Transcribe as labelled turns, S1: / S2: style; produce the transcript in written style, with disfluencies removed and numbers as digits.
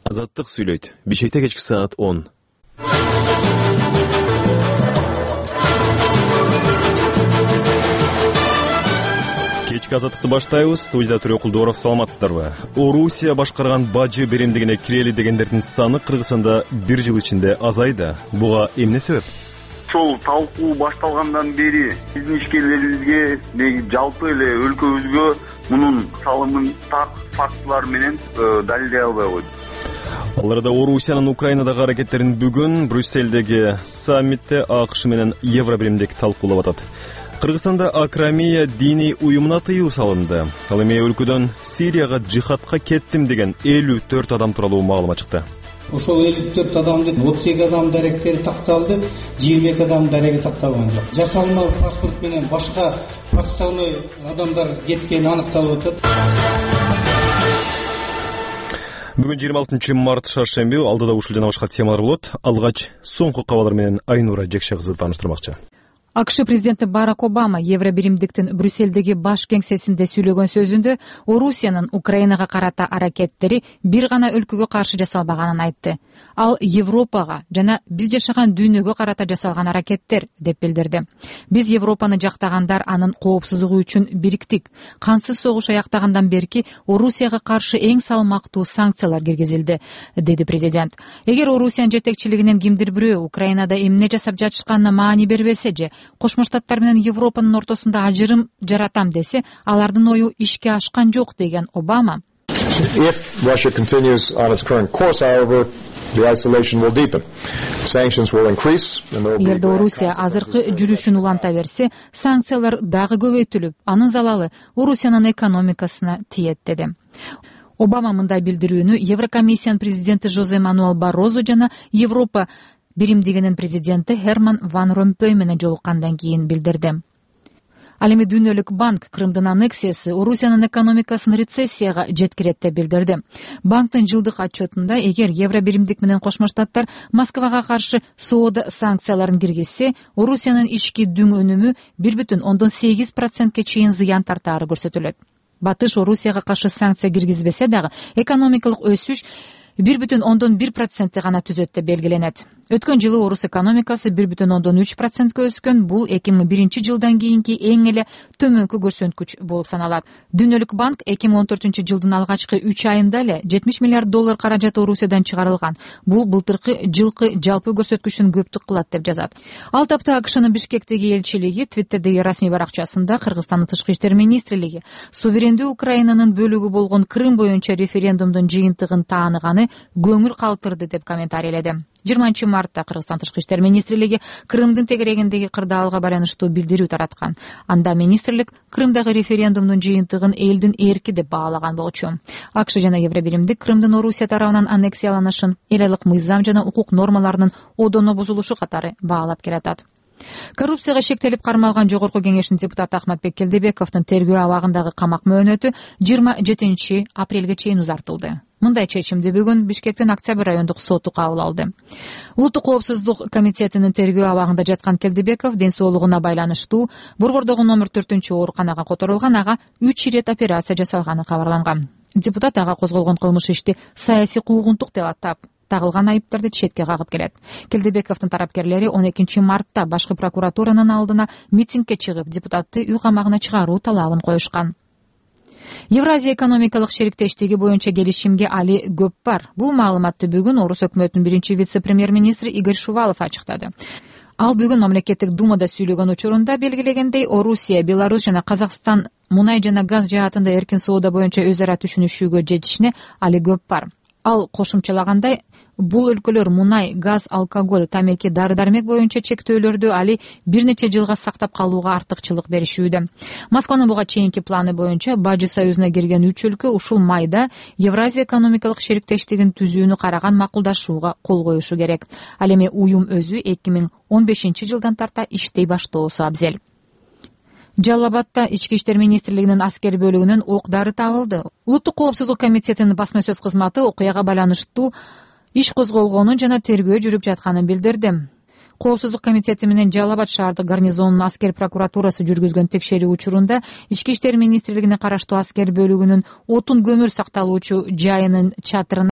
S1: Азаттык сүйлөйт. Бишкекте кечки саат 10. Кечки азаттыкты баштайбыз. Студияда Төрө Кулдоров, саламатсыздарбы? Орусия башкарган бажы беремдигине кирели дегендердин саны Кыргызстанда бир жыл ичинде азайды. Буга эмне себеп?
S2: Ошол талкуу башталгандан бери биздин ишкерлерибизге, жалпы эле өлкөбүзгө мунун салымын так фактылар менен далилдей албай койду.
S1: Аларда Орусиянын Украинадагы аракеттерин бүгүн Брюсселдеги саммитте АКШ менен Евробиримдик талкуулап атат. Кыргызстанда Акрамия диний уюмуна тыюу салынды. Ал эми өлкөдөн Сирияга жихадка кеттим деген 54 адам тууралуу маалымат чыкты.
S3: Ошол 54 адамдын 32 адам даректери такталды, 22 адам дареги такталган жок. Жасалма паспорт менен башка подставной адамдар кеткени аныкталып атат.
S1: Бүгүн 26 март шаршемби, алдыда ушул жана башка темалар болот. Алгач соңку кабарлар менен Айнура Жекше кызы тааныштырмакчы.
S4: АКШ президенти Барак Обама Евробиримдиктин Брюссельдеги баш кеңсесинде сүйлөгөн сөзүндө Орусиянын Украинага карата аракеттери бир гана өлкөгө каршы жасалбаганын айтты. Ал Европага жана биз жашаган дүйнөгө карата жасалган аракеттер деп билдирди. Биз Европаны жактагандар анын коопсуздугу үчүн бириктик. Кансыз согуш аяктагандан берки Орусияга каршы эң салмактуу санкциялар киргизилди, деди президент. Эгер Орусиянын жетекчилигинен кимдир бирөө Украинада эмне жасап жатышканына маани бербесе же Кошмо Штаттар менен Европанын ортосунда ажырым жаратам десе, алардын ою ишке ашкан жок, деген Обама.
S5: If Russia continues on its current course, however, the isolation will deepen. Sanctions will increase.
S4: Эгерде Орусия азыркы жүрүшүн уланта берсе, санкциялар дагы көбөйтүлүп, анын залалы Орусиянын экономикасына тиет, деди. Обама мындай билдирүүнү Еврокомиссиянын президенти Жозе Мануэл Баррозо жана Европа биримдигинин президенти Херман Ван Ромпой менен жолуккандан кийин билдирди. Ал эми Дүйнөлүк банк Крымдын аннексиясы Орусиянын экономикасын рецессияга жеткирет деп билдирди. Банктын жылдык отчетунда эгер Евробиримдик менен Кошмо Штаттар Москвага каршы соода санкцияларын киргизсе, Орусиянын ички дүң өнүмү 1,8% чейин зыян тартаары көрсөтүлөт. Батыш Орусияга каршы санкция киргизбесе дагы экономикалык өсүш 1,1% гана түзөт деп белгиленет. Өткөн жылы орус экономикасы 1,3%га өскөн. Бул 2001 жылдан кийинки эң эле төмөнкү көрсөткүч болуп саналат. Дүйнөлүк банк 2014 жылдын алгачкы 3 айында эле $70 миллиард каражат Орусиядан чыгарылган. Бул былтыркы жылкы жалпы көрсөткүчтөн көптүк кылат деп жазат. Ал тапта АКШнын Бишкектеги элчилиги Твиттердеги расмий баракчасында Кыргызстандын тышкы иштер министрлиги суверендүү Украинанын бөлүгү болгон Крым боюнча референдумдун жыйынтыгын тааныганы көңүл калтырды деп комментарийледи. 20 мартта Кыргызстан тышкы иштер министрлиги Крымдын тегерегиндеги кырдаалга байланыштуу билдирүү тараткан. Анда министрлик Крымдагы референдумдун жыйынтыгын элдин эрки деп баалаган болчу. АКШ жана Евробиримдик Крымдын Орусия тарабынан аннексияланышын эл айлык мыйзам жана укук нормаларынын одоно бузулушу катары баалап келатат. Коррупцияга шектелип кармалган Жогорку кеңештин депутаты Ахматбек Келдебековдун тергөө абагындагы камак мөөнөтү 27 апрелге чейин узартылды. Мындай чечимди бүгүн Бишкектин Октябрь райондук соту кабыл алды. Улуттук коопсуздук комитетинин тергөө абагында жаткан Келдебеков ден соолугуна байланыштуу Борбордогу номер 4 ооруканага которулган, ага 3 ирет операция жасалганы кабарланган. Депутат ага козголгон кылмыш ишти саясий куугунтук деп атап, тагылган айыптарды четке кагып келет. Келдебековдун тарапкерлери 12 мартта башкы прокуратуранын алдына митингге чыгып, депутатты үй камагына чыгаруу талабын коюшкан. Евразия экономикалык шериктештиги боюнча келишимге али көп бар. Бул маалыматты бүгүн Орус өкмөтүнүн биринчи вице-премьер-министри Игорь Шувалов ачыктады. Ал бүгүн мамлекеттик думада сүйлөгөн учурунда белгилегендей, Орусия, Беларусь жана Казакстан мунай жана газ жаатында эркин соода боюнча өз ара түшүнүшүүгө жетишине али көп бар. Ал кошумчалагандай, бул өлкөлөр мунай, газ, алкоголь, тамеки, дары-дармек боюнча чектөөлөрдү али бир нече жылга сактап калууга артыкчылык беришүүдө. Москванын буга чейинки планы боюнча Бажы союзуна кирген 3 өлкө ушул майда Евразия экономикалык шериктештигин түзүүнү караган макулдашууга кол коюшу керек. Ал эми уюм өзү 2015 жылдан тарта иштей баштоосу абзел. Жалал Абадта Ички иштер министрлигинин аскер бөлүгүнөн ок-дары табылды. Улуттук коопсуздук комитетинин басма сөз кызматы окуяга байланыштуу иш козголгонун жана тергөө жүрүп жатканын билдирди. Коопсуздук комитети менен Жалал Абад шаардык гарнизонунун аскер прокуратурасы жүргүзгөн текшерүү учурунда Ички иштер министрлигине караштуу аскер бөлүгүнүн отун көмүр сакталуучу жайынын чатырына